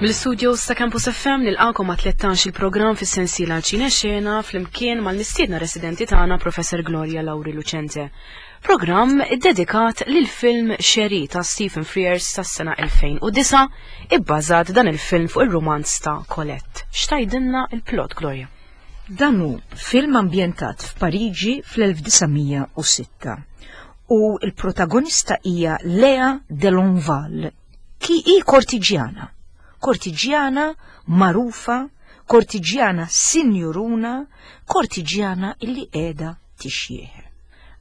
Mill-studios ta' Campus FM nilqakom ma' 13 il-programm fis-sensiela Ċine Xena flimkien mal-mistiedna residenti tagħna Professor Gloria Lauri Lucente. Programm iddedikat lil film Xeri ta' Stephen Frears tas-sena 2009 ibbażat dan il-film fuq ir-rumanz ta' Colette. X'tajdilna il-plot Gloria? Dan hu film ambjentat f'Pariġi fl-1906 u l-protagonista hija Lea de Lonval, ki hi kortiġjana. Kortiġjana magħrufa, kortiġjana sinjuruna, kortiġjana illi qiegħda tixjieħ.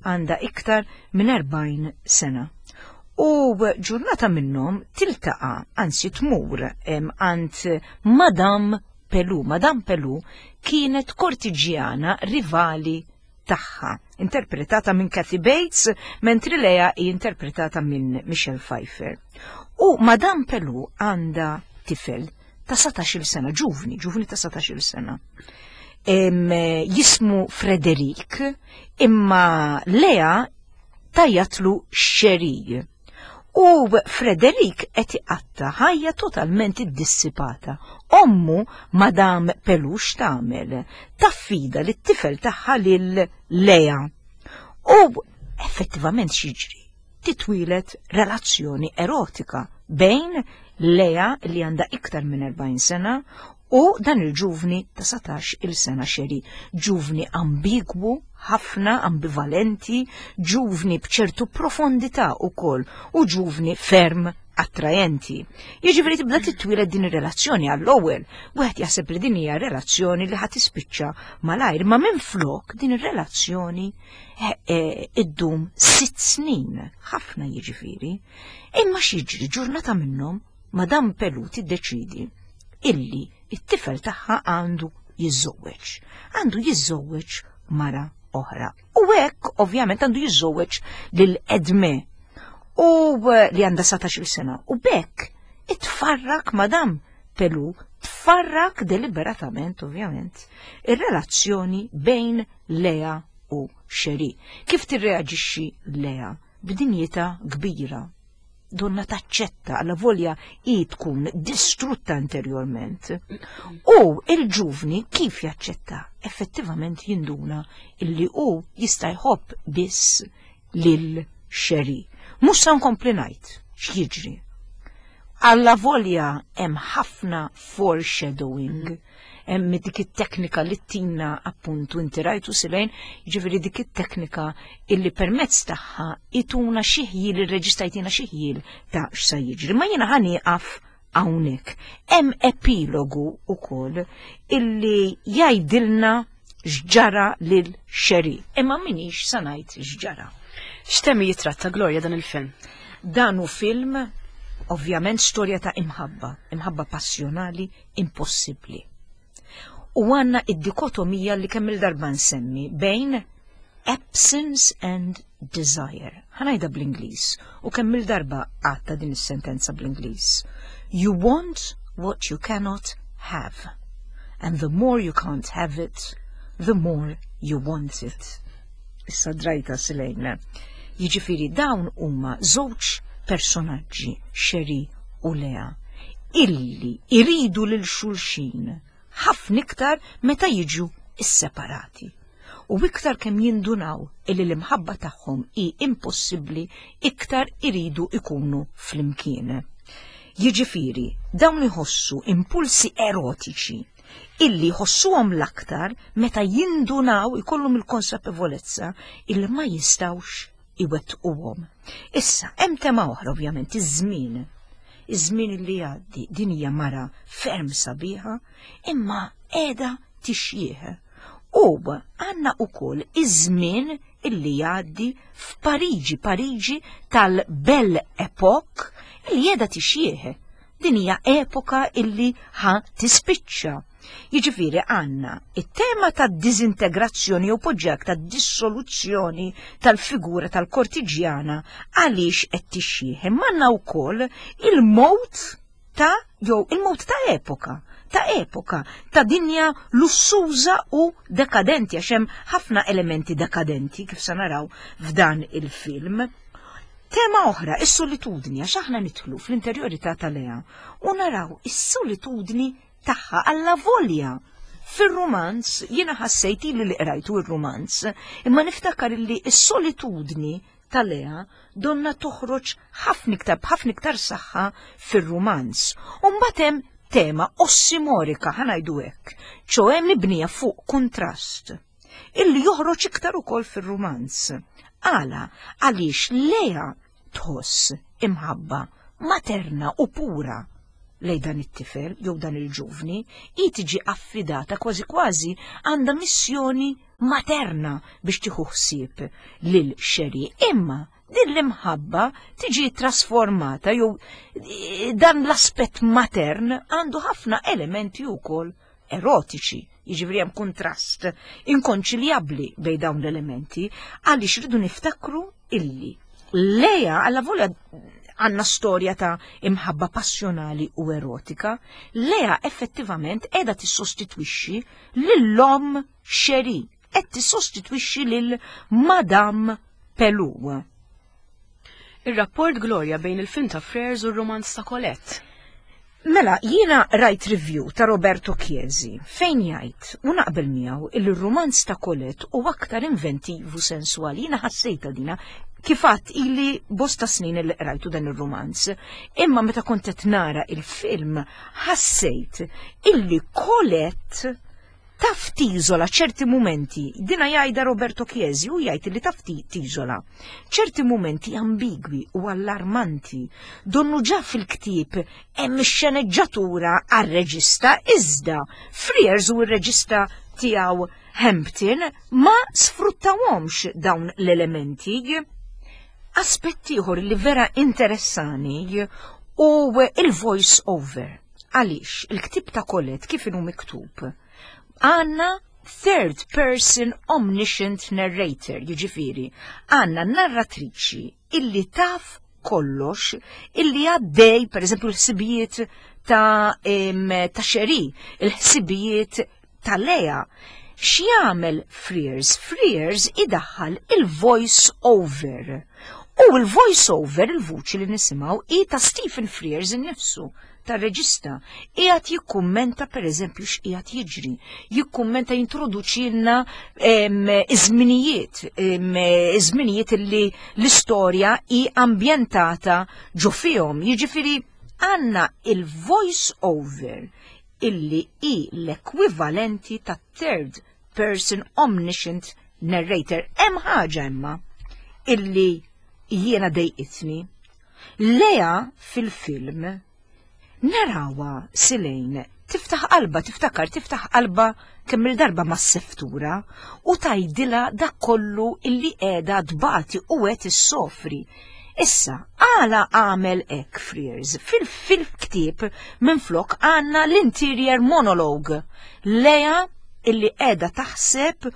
Għandha iktar minn 40 sena. U ġurnata minnhom tiltaqa', anzi tmur għand Madame Pelou. Madame Pelou kienet kortiġjana rivali tagħha, interpretata minn Kathy Bates, mentri Lea hi interpretata minn Michelle Pfeiffer. U Madame Pelou għandha tifel ta' 17-il sena, ġuvni, ġuvni ta' 17-il sena. Jismu Frederik, imma Lea tajjatlu Xerij. U Frederik qed iqatta' ħajja totalment iddissipata. Ommu, Madame Pelou x'tagħmel? Taffida lit-tifel tagħha lil Lea. U effettivament x'jiġri? Titwieled relazzjoni erotika bejn Lea li għandha iktar minn 40 sena u dan il-ġuvni ta' 17 il sena xeri, ġuvni ambigwu, ħafna ambivalenti, ġuvni bċertu profondità ukoll u ġuvni ferm attrajenti. Jiġifieri tibda titwieled din ir-relazzjoni għall-ewwel, wieħed jaħseb li din hija relazzjoni li ħa tispiċċa malajr, ma minflok din ir-relazzjoni eh, eh, iddum sitt snin, ħafna jiġifieri. Imma x'jiġri ġurnata minnhom Madame Pelou tiddeċidi illi it-tifel tagħha għandu jiżżewweġ. Għandu jiżżewweġ mara oħra. U hekk ovvjament għandu jiżżewweġ lil Edme u eh, li għandha 17 sena. U bekk itfarrak Madame Pelu tfarrak deliberatament ovvjament ir-relazzjoni bejn Lea u Xeri. Kif tirreaġixxi Lea? B'dinjità kbira donna taċċetta alla volja hi tkun distrutta interjorment. U il-ġuvni kif jaċċetta? Effettivament jinduna illi hu jista' jħobb biss lil xeri. Mhux sa nkompli ngħid x'jiġri. Alla volja hemm ħafna foreshadowing hemm dik it-teknika li tina appuntu inti rajtu silejn, jiġifieri dik it-teknika illi permezz tagħha ituna xi ħjiel ir-reġista jtina xi ħjiel ta' x'sa jiġri. Ma jiena ħa nieqaf hawnhekk. Hemm epilogu wkoll illi jgħidilna x'ġara lil Xeri, imma minix sa ngħid x'ġara. X'temi jitratta Gloria dan il-film? Dan hu film ovvjament storja ta' imħabba, imħabba passjonali impossibbli. U għandna id-dikotomija li kemm il-darba nsemmi bejn absence and desire. Ħanajda bl-Ingliż u kemm il-darba għatta din is-sentenza bl-Ingliż. You want what you cannot have. And the more you can't have it, the more you want it. Issa drajta silejna. Jiġifieri dawn huma żewġ personaġġi, Xeri u Lea, illi iridu lil xulxin ħafna iktar meta jiġu isseparati. U iktar kemm jindunaw illi l-imħabba tagħhom hi impossibbli iktar iridu ikunu flimkien. Jiġifieri, dawn iħossu impulsi erotiċi illi jħossuhom l-aktar meta jindunaw ikollhom il-konsapevolezza illi ma jistgħux iwettquhom. Issa, hemm tema oħra ovvjament, iż-żmien. Iż-żmien li jgħaddi, din hija mara ferm sabiħa, imma qiegħda tixjieħ. U għandna ukoll iż-żmien illi jgħaddi f'Pariġi, Pariġi tal-Belle Epoque illi qiegħda tixjieħ. Din hija epoka illi ħa tispiċċa. Jiġifieri għandna it-tema ta' diżintegrazzjoni jew poġġak ta' dissoluzzjoni tal-figura tal-kortiġjana għaliex qed tixjieħ. Imma għandna wkoll il-mowt ta' jew il-mowt ta' epoka ta' epoka, ta' dinja lussuża u dekadenti, għax hemm ħafna elementi dekadenti kif se naraw f'dan il-film. Tema oħra, is-solitudni, għax aħna nidħlu fl-interjorità ta' Lea u naraw is-solitudni tagħha allavolja fir-rumanz jiena ħassejt ili li qrajtu ir-rumanz, imma niftakar illi s-solitudni ta' Lea donna toħroġ ħafna iktar b'ħafna iktar saħħa fir-rumanz. U mbagħad hemm tema ossimorika ħa ngħidu hekk, ċoe mibnija fuq kuntrast illi joħroġ iktar ukoll fir-rumanz. Għala, għaliex Lea tħoss imħabba materna u pura lej dan it-tifel jew dan il-ġuvni, hi tiġi affidata kważi kważi għandha missjoni materna biex tieħu ħsieb lil Xeri. Imma din l-imħabba tiġi trasformata jew eh, dan l-aspett matern għandu ħafna elementi wkoll erotiċi, jiġifieri hemm kuntrast inkonċiljabbli bejn dawn l-elementi għaliex rridu niftakru illi Leja alla volja għanna storja ta' imħabba passjonali u erotika, Lea effettivament edha tissostitwixxi lill-om Xeri, qed tissostitwixxi lil Madame Pelou. Ir-rapport Gloria bejn il-film ta' Frears u r-rumanz ta' Colette. Mela, jiena rajt review ta' Roberto Chiesi fejn jgħid u naqbel miegħu illi r-rumanz ta' Colette hu aktar inventiv u sensuali. Jiena ħassejtha dina kif għadt ili bosta snin illi qrajtu dan ir-rumanz. Imma meta kont qed nara il-film ħassejt illi Colette taf tiżola ċerti mumenti, dina jgħidha Roberto Chiesi u jgħid li taf tiżola ċerti mumenti ambigwi u allarmanti, donnu ġa fil-ktieb hemm ix-xeneġġatura għar-reġista iżda Frears u r-reġista tiegħu Hampton ma sfruttawhomx dawn l-elementi. Aspett ieħor li vera interessani u il-voice over. Għaliex il-ktieb ta' Colette kif inhu miktub? Għandna third person omniscient narrator, jiġifieri għandna narratriċi illi taf kollox illi għaddej, per eżempju, l-ħsibijiet ta' ta' Xeri, il-ħsibijiet ta' Lea. X'jagħmel Frears? Frears idaħħal il-voice over. U l-voice over, il-vuċi li nisimgħu, hi ta' Stephen Frears innifsu, tar-reġista. Qiegħed jikkummenta pereżempju x'qiegħed jiġri, jikkummenta jintroduċilna iż-żminijiet, iż-żminijiet illi l-istorja hi ambjentata ġo fihom. Jiġifieri għandna il-voice over illi hi l-ekwivalenti ta' third person omniscient narrator. Hemm ħaġa imma illi jiena dejqitni. Lea fil-film narawha Silejn tiftaħ qalba, tiftakar, tiftaħ qalba kemm il-darba mas-seftura u tgħidilha dak kollu illi qiegħda tbati u qed issofri. Issa, għala għamel hekk Frears? Fil-ktieb minflok għandna l-interior monologue. Lea illi qiegħda taħseb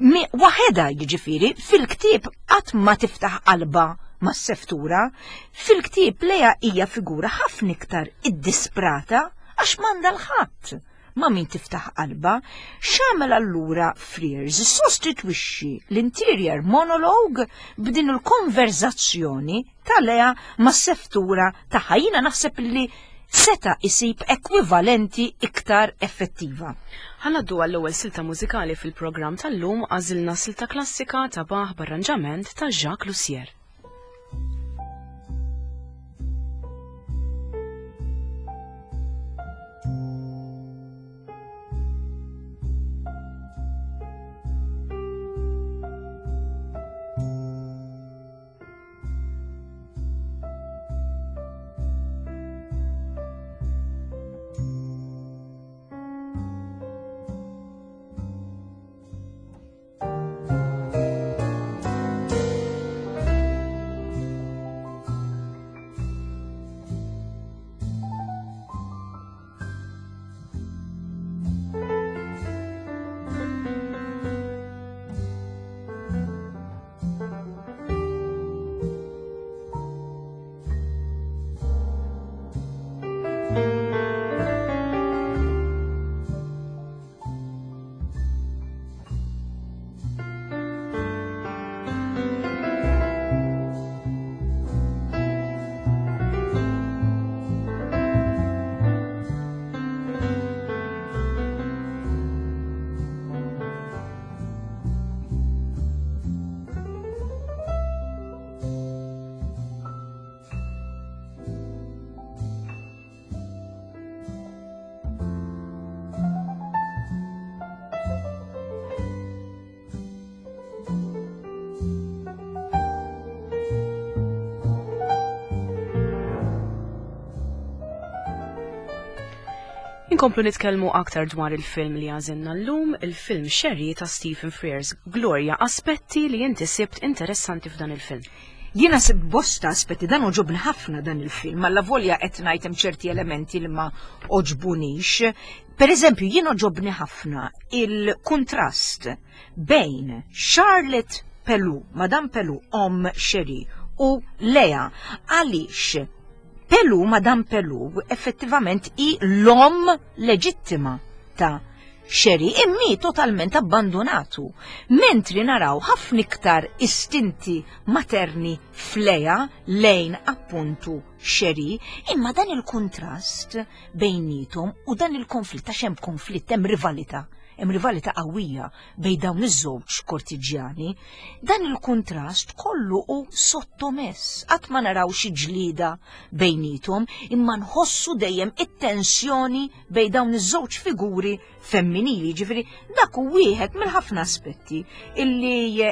waħedha jiġifieri fil-ktieb qatt ma tiftaħ qalba mas-seftura. Fil-ktieb Lea hija figura ħafna iktar iddisprata għax m'għandha l-ħadd ma' min tiftaħ qalbha. X'għamel allura Frears? Sostitwixxi l-interior monologue b'din il-konverzazzjoni ta' Lea mas-seftura tagħha. Jiena naħseb li seta' isib ekwivalenti iktar effettiva. Ħa ngħaddu għall-ewwel silta mużikali fil-programm tal-lum għażilna silta klassika ta' Bach b'arranġament ta' Jacques Lussier. Inkomplu nitkellmu aktar dwar il-film li għażilna llum, il-film Sherry ta' Stephen Frears. Gloria, aspetti li inti sibt interessanti f'dan il-film. Jiena sibt bosta aspetti, dan oġobni ħafna dan il-film, alla volja qed ngħid hemm ċerti elementi li ma oġbunix. Per eżempju, jien oġobni ħafna il-kuntrast bejn Charlotte Pelou, Madame Pelou, om Sherry, u Lea, għaliex Pelou, Madame Pelou, effettivament hi l-om leġittima ta' Sherry, immi totalment abbandonatu, mentri naraw ħafna iktar istinti materni f'Lea lejn appuntu Sherry, imma dan il-kuntrast bejnietom u dan il-konflitt, għax hemm konflitt, hemm rivalità, hemm rivalità qawwija bejn dawn iż-żewġ kortiġjani, dan il-kuntrast kollu hu sottomess, qatt ma naraw xi ġlieda bejnietom, imma nħossu dejjem it-tensjoni bejn dawn iż-żewġ figuri femminili, ġifieri dak hu wieħed mill-ħafna aspetti illi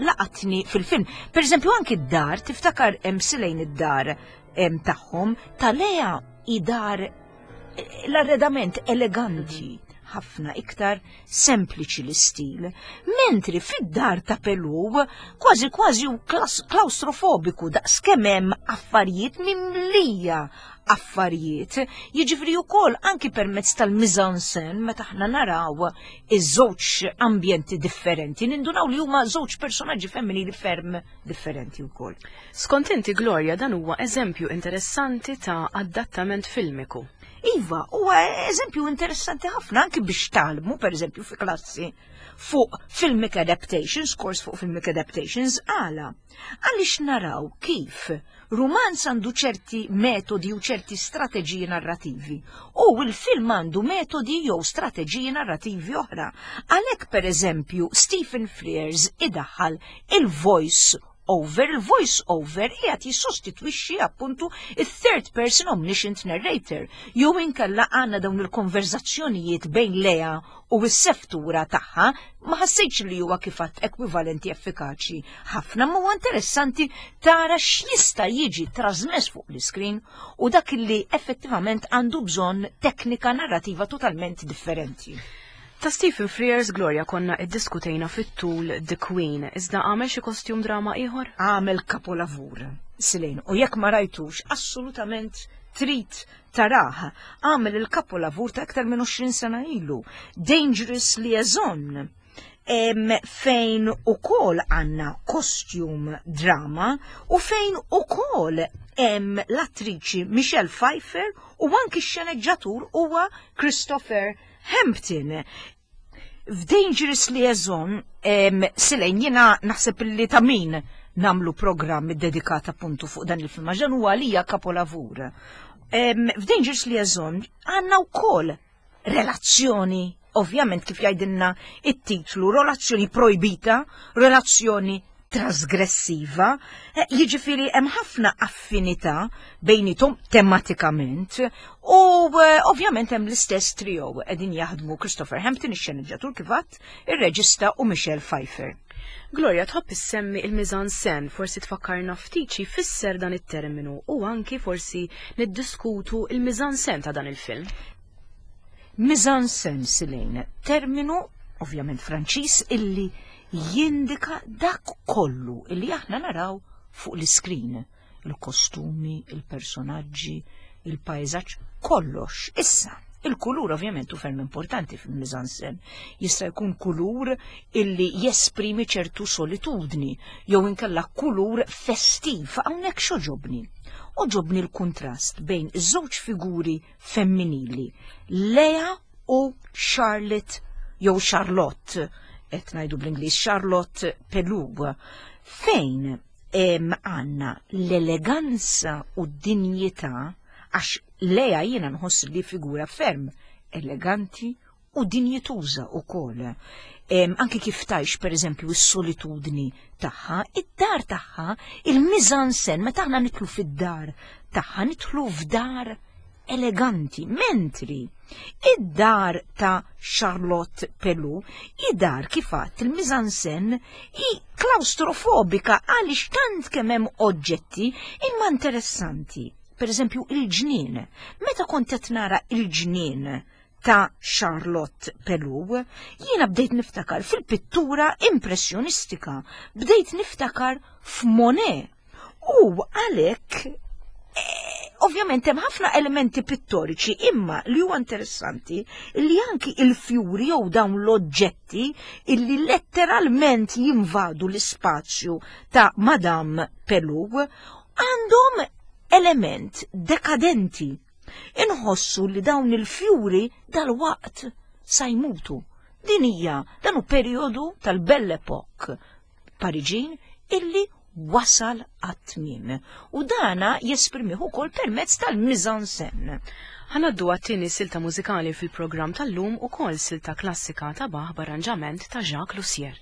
laqatni fil-film. Per eżempju anki d-dar, tiftakar hemm silejn id-dar tagħhom, ta' Lea hi dar l-arredament eleganti ħafna iktar sempliċi l-istil, mentri fid-dar ta' Pelou kważi kważi u klaustrofobiku daqs kemm hemm affarijiet mimlija affarijiet, jiġifieri wkoll anki permezz tal-mise-en-scène meta aħna naraw iż-żewġ ambjenti differenti, nindunaw li huma żewġ personaġġi femminili ferm differenti wkoll. Skont inti Gloria dan huwa eżempju interessanti ta' adattament filmiku. Iva, huwa eżempju interessanti ħafna anki biex tgħallmu, pereżempju fi klassi fuq filmic adaptations, kors fuq filmic adaptations, għala. Għaliex naraw kif rumanz għandu ċerti metodi u ċerti strateġiji narrativi u l-film għandu metodi jew strateġiji narrativi oħra. Għalhekk pereżempju Stephen Frears idaħħal il-voice over, il-voice over qiegħed jissostitwixxi appuntu il-third person omniscient narrator, jew inkella għandna dawn il-konverzazzjonijiet bejn Lea u s-seftura tagħha, ma ħassejtx li huwa kif għadt ekwivalenti effikaċi ħafna, ma huwa interessanti tara x'jista' jiġi trasmess fuq l-iskrin u dak li effettivament għandu bżonn teknika narrativa totalment differenti. Ta' Stephen Frears, Gloria, konna iddiskutejna fit-tul The Queen, iżda għamel xi kostjum drama ieħor? Għamel kapolavur, Silene, u jekk ma rajtux, assolutament trid tarah. Għamel il-kapolavur ta' iktar minn 20 sena ilu, Dangerous Liaison, fejn ukoll għandna kostjum drama u fejn ukoll hemm l-attriċi Michelle Pfeiffer u anki x-xeneġġatur huwa Christopher Hampton. F'Dangerous Liaison, Silejn, jiena naħseb li ta' min namlu programm dedikat appuntu fuq dan il-film, għax dan huwa għalija kapolavur. F'Dangerous Liaison għandna wkoll relazzjoni, ovvjament kif jgħidilna it-titlu, relazzjoni projbita, relazzjoni trasgressiva, eh, jiġifieri hemm ħafna affinità bejnietom tematikament u eh, ovvjament hemm l-istess trio qegħdin jaħdmu Christopher Hampton ix-xeneġġatur kif għadt, ir-reġista u Michelle Pfeiffer. Gloria, tħobb issemmi il-mise-en-scène, forsi tfakkarna ftit xi jfisser dan it-terminu u anki forsi niddiskutu il-mise-en-scène ta' dan il-film. Mise-en-scène, Silene, terminu ovvjament Franċiż illi jindika dak kollu illi aħna naraw fuq l-iskrin, il-kostumi, il-personaġġi, il-pajżaġġ, kollox. Issa, il-kulur ovvjament hu ferm importanti fil-mise-en-scène. Jista' jkun kulur illi jesprimi ċertu solitudni, jew inkella kulur festiv. Hawnhekk x'oġobni? Oġobni l-kuntrast bejn iż-żewġ figuri femminili, Lea u Charlotte jew Charlotte, qed ngħidu bl-Ingliż Charlotte Pelou, fejn għandna l-eleganza u d-dinjità, għax Lea jiena nħoss li figura ferm eleganti u dinjituża wkoll. Anki kif tgħix pereżempju s-solitudni tagħha, id-dar tagħha, il-mise-en-scène, meta aħna nidħlu fid-dar tagħha, nidħlu f'dar eleganti, mentri id-dar ta' Charlotte Pelou, id-dar kif għadt il-mise-en-scène hi klaustrofobika għaliex tant kemm hemm oġġetti imma interessanti. Per eżempju il-ġnien. Meta kont qed nara il-ġnien ta' Charlotte Pelou, jiena bdejt niftakar fil-pittura impressjonistika, bdejt niftakar f'Monet. U għalhekk eh, ovvjament hemm ħafna elementi pittoriċi imma li huwa interessanti li anki il-fjuri jew dawn l-oġġetti illi letteralment jinvadu l-ispazju ta' Madame Pelou għandhom element dekadenti. Inħossu li dawn il-fjuri dal-waqt sa jmutu. Din hija dan hu perjodu tal-Belle Époque Pariġin illi wasal għat-tmiem. U dana jesprimih ukoll permezz tal-mise-en-scène. Ħa ngħaddu għat-tieni silta mużikali fil-programm tal-lum ukoll silta klassika ta' Bach b'arranġament ta' Jacques Lussier.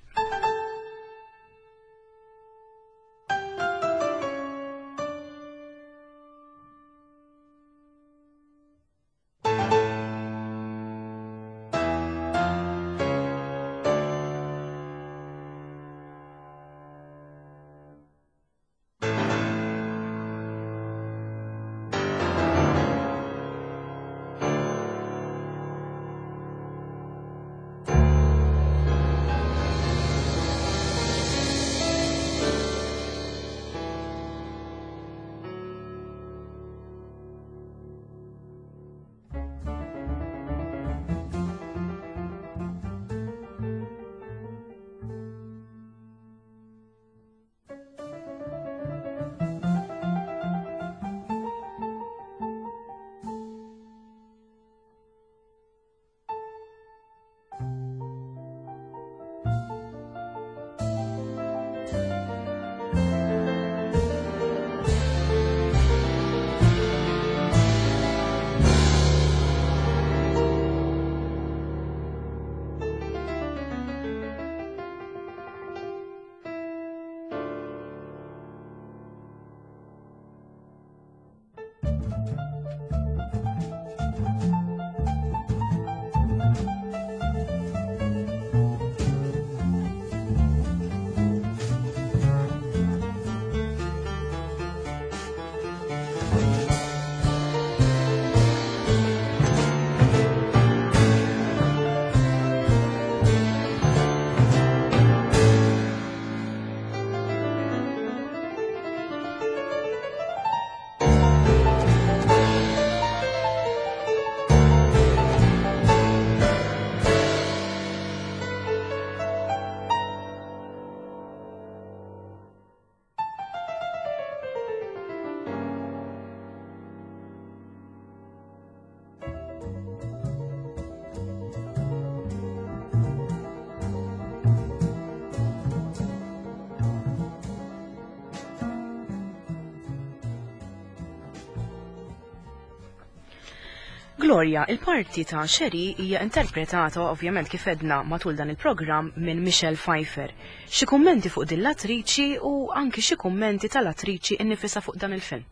Gloria, il-parti ta' Sherry hija interpretata ovvjament kif edna matul dan il-programm minn Michelle Pfeiffer. Xi kummenti fuq din l-attriċi u anki xi kummenti tal-attriċi innifisha fuq dan il-film?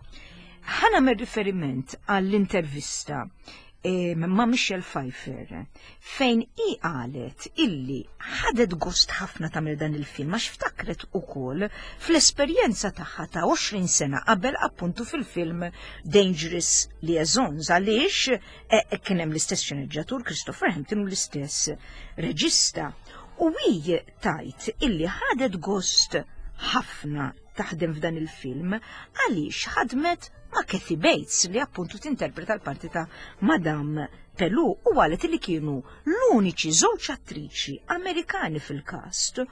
Ħa nagħmel riferiment għall-intervista ma' Michelle Pfeiffer fejn hi qalet illi ħadet gost ħafna tagħmel dan il-film għax ftakret ukoll fl-esperjenza tagħha ta' 20 sena qabel appuntu fil-film Dangerous Liaisons għaliex eh, kien hemm l-istess xeneġġatur Christopher Hampton u l-istess reġista. U hi tajt illi ħadet gost ħafna taħdem f'dan il-film għaliex ħadmet ma' Kathy Bates li appuntu tinterpreta l-parti ta' Madame Pelou u qalet li kienu l-uniċi żewġ attriċi Amerikani fil-kast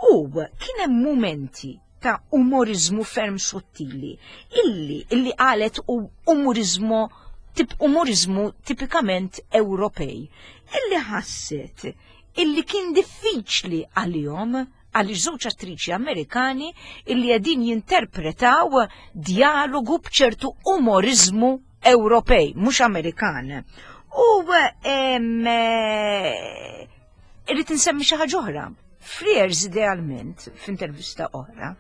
u kien hemm mumenti ta' umorizmu ferm sottili illi illi qalet u umorizmu tip umorizmu tipikament Ewropej illi ħasset illi kien diffiċli għalihom għaliex żewġ attriċi Amerikani illi qegħdin jinterpretaw dialogu b'ċertu umoriżmu Ewropej, mhux Amerikan. U eh, irrid insemmi xi ħaġa oħra. Frears idealment, f'intervista oħra,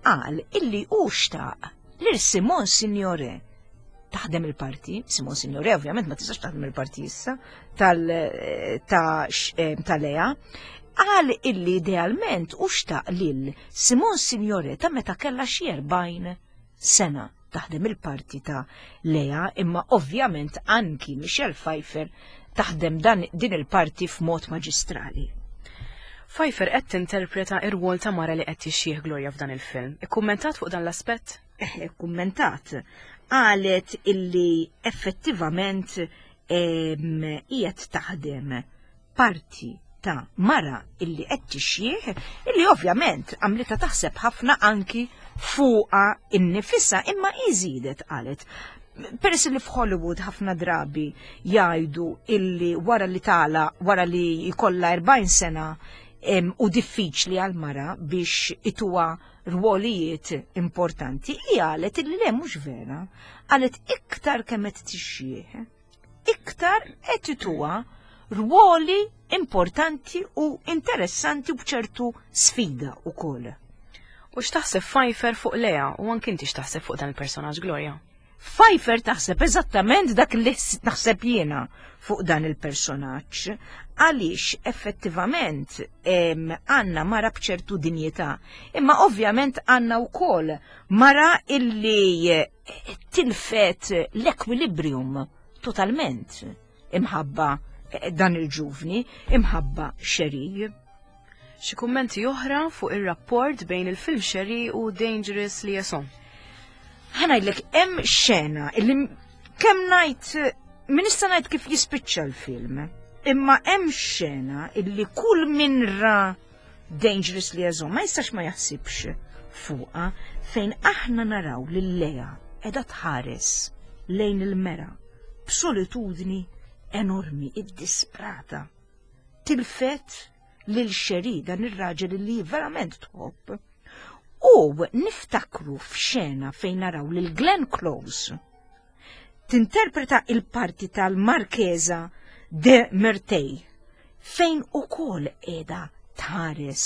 qal illi hu xtaq lil Simon Signore taħdem il-parti, Simon Signore ovvjament ma tistax taħdem il-parti issa tal ta' eh, ta' Lea, qal illi idealment u xtaq lil Simon Signore ta' meta kellha xi 40 sena taħdem il-parti ta' Lea, imma ovvjament anki Michelle Pfeiffer taħdem dan din il-parti f'mod maġistrali. Pfeiffer qed tinterpreta r-rwol ta' mara li qed tixjieħ Gloria f'dan il-film. Ikkummentat fuq dan l-aspett? Eh, ikkummentat. Qalet illi effettivament qiegħed taħdem parti ta' mara illi qed tixjieħ illi ovvjament għamlitha taħseb ħafna anki fuqha innifisha imma iżidet qalet peress li f'Hollywood ħafna drabi jgħidu illi wara li tala wara li jkollha 40 sena u diffiċli għal mara biex ituha rwolijiet importanti, hi qalet illi le mhux vera, qalet iktar kemm qed tixjieħ, iktar qed ituha rwoli importanti u interessanti u b'ċertu sfida wkoll. U x'taħseb Pfeiffer fuq Lea u anki inti x'taħseb fuq dan il-personaġġ Gloria? Pfeiffer taħseb eżattament dak li naħseb jiena fuq dan il-personaġġ, għaliex effettivament għandna mara b'ċertu dinjità, imma ovvjament għandna wkoll mara illi eh, tilfet l-ekwilibrium totalment imħabba eh, dan il-ġuvni, imħabba xerij. Xi kummenti oħra fuq ir-rapport bejn il-film Sherry u Dangerous Liaison? Ħa ngħidlek hemm xena illi kemm ngħid min nista' ngħid kif jispiċċa l-film, imma hemm xena illi kull min ra Dangerous Liaison ma jistax ma jaħsibx fuqha fejn aħna naraw lil Lea qiegħda tħares lejn il-mera b'solitudni enormi, iddisprata. Tilfet lil Cherie, dan ir-raġel li verament tħobb. U niftakru f'xena fejn naraw lil Glenn Close tinterpreta il-parti tal-Markeza de Merteuil fejn ukoll qiegħda tħares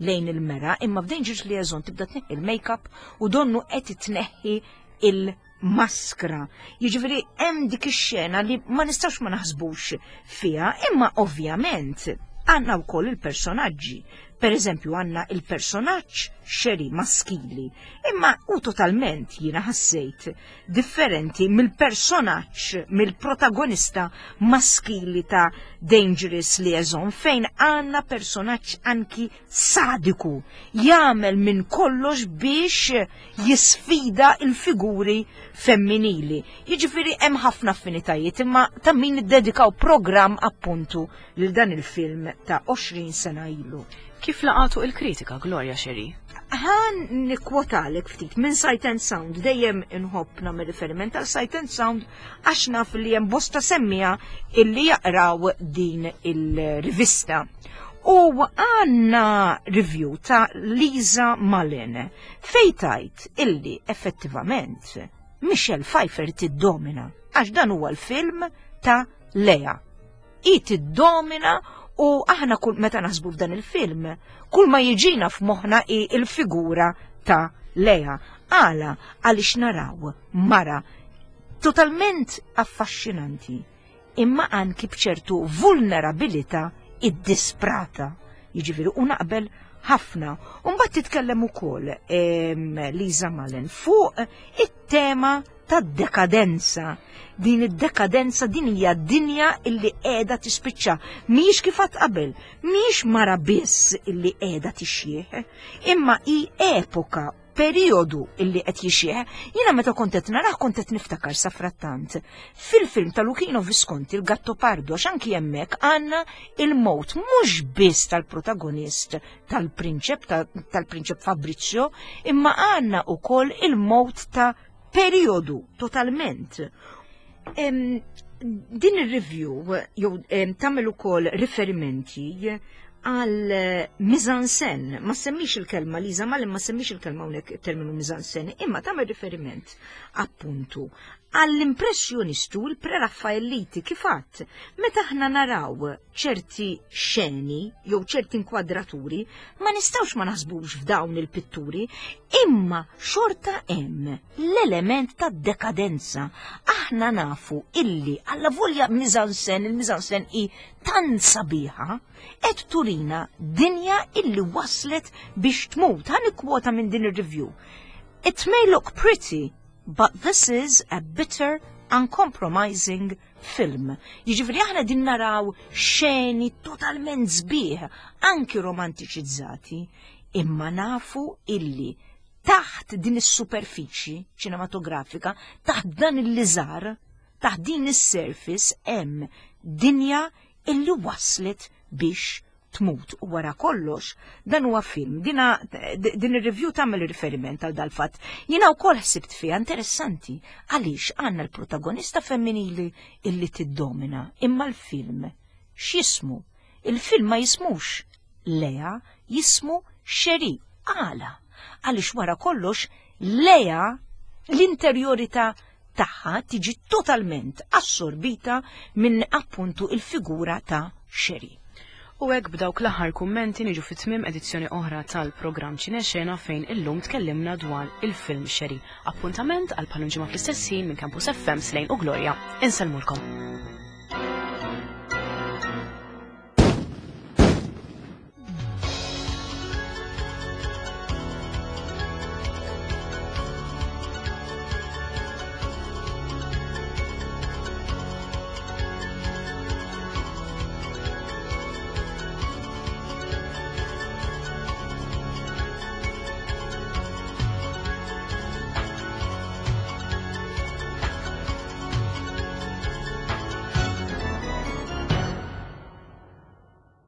lejn il-mera imma f'Dangerous Liaison tibda tneħħi il-makeup u donnu qed tneħħi il-maskra. Jiġifieri hemm dik ix-xena li ma nistgħux ma naħsbux fiha, imma ovvjament għandna wkoll il-personaġġi. Per eżempju għandna il-personaġġ xeri maskili, imma u totalment jiena ħassejt differenti mill-personaġġ, mill-protagonista maskili ta' Dangerous Liaison fejn għandna personaġġ anki sadiku, jagħmel minn kollox biex jisfida il-figuri femminili. Jiġifieri hemm ħafna affinitajiet imma ta' min iddedikaw programm appuntu lil dan il-film ta' 20 sena ilu. Kif laqatu il-kritika Gloria Sherry? Ħan nikkwotalek ftit minn Sight and Sound, dejjem inħobb nagħmel riferiment għal Sight and Sound għax naf li hemm bosta semmija illi jaqraw din il-rivista. U għanna review ta' Lisa Mullen fej tajt illi effettivament Michelle Pfeiffer tiddomina għax dan huwa l-film ta' Lea. I tiddomina u aħna kull meta naħsbu f'dan il-film, kull ma jiġina f'moħħna hi il-figura ta' Lea. Għala għaliex naraw mara totalment affaxxinanti imma anki b'ċertu vulnerabilità iddisprata. Jiġifieri u naqbel ħafna. U mbagħad titkellem ukoll Liza Malen fuq it-tema tad-dekadenza. Din id-dekadenza din hija dinja illi qiegħda tispiċċa. Mhijiex kif għad qabel, mhijiex mara biss illi qiegħda tixjieħ, imma hi epoka periodu illi qed jixjieħ, jiena meta kont qed narah kont qed niftakar safrattant. Fil-film ta' Luchino Visconti il-Gattopardo għax anki hemmhekk għandna il-mowt mhux biss tal-protagonist tal-prinċep tal-prinċep Fabrizio, imma għandna wkoll il-mowt ta' periodu totalment. Din ir-review jew tagħmel ukoll riferimenti għal eh, mizansen, ma semmix il-kelma Liza ma ma semmix il-kelma hawnhekk terminu mizansen, imma tagħmel riferiment appuntu għall-impressjonistu l-preraffaelliti kif għadd meta aħna naraw ċerti xeni jew ċerti inkwadraturi ma nistgħux ma naħsbux f'dawn il-pitturi, imma xorta hemm l-element ta' dekadenza. Aħna nafu illi alla volja mizansen, il-mizansen hi tant sabiħa, qed turina dinja illi waslet biex tmut. Ħa nikkwota minn din ir-review. It may look pretty, but this is a bitter uncompromising film. Jiġifieri aħna din naraw xeni totalment sbieħ, anki romantiċizzati, imma nafu illi taħt din is-superfiċi ċinematografika, taħt dan il-liżar, taħt din is-surface hemm dinja illi waslet biex tmut u wara kollox dan huwa film. Dina, din ir-review tagħmel riferiment għal dal-fatt. Jiena wkoll ħsibt fiha interessanti għaliex għandna l-protagonista femminili illi tiddomina imma l-film x'jismu? Il-film ma jismux Lea, jismu Xeri. Għala? Għaliex wara kollox Lea l-interjorità tagħha tiġi totalment assorbita minn appuntu il-figura ta' Xeri. U hekk b'dawk l-aħħar kummenti niġu fi tmiem edizzjoni oħra tal-programm Ċinexena fejn illum tkellimna dwar il-film Xeri. Appuntament għal bħal ġimgħa fl-istess ħin minn Campus FM Slejn u Gloria. Insellmulkom.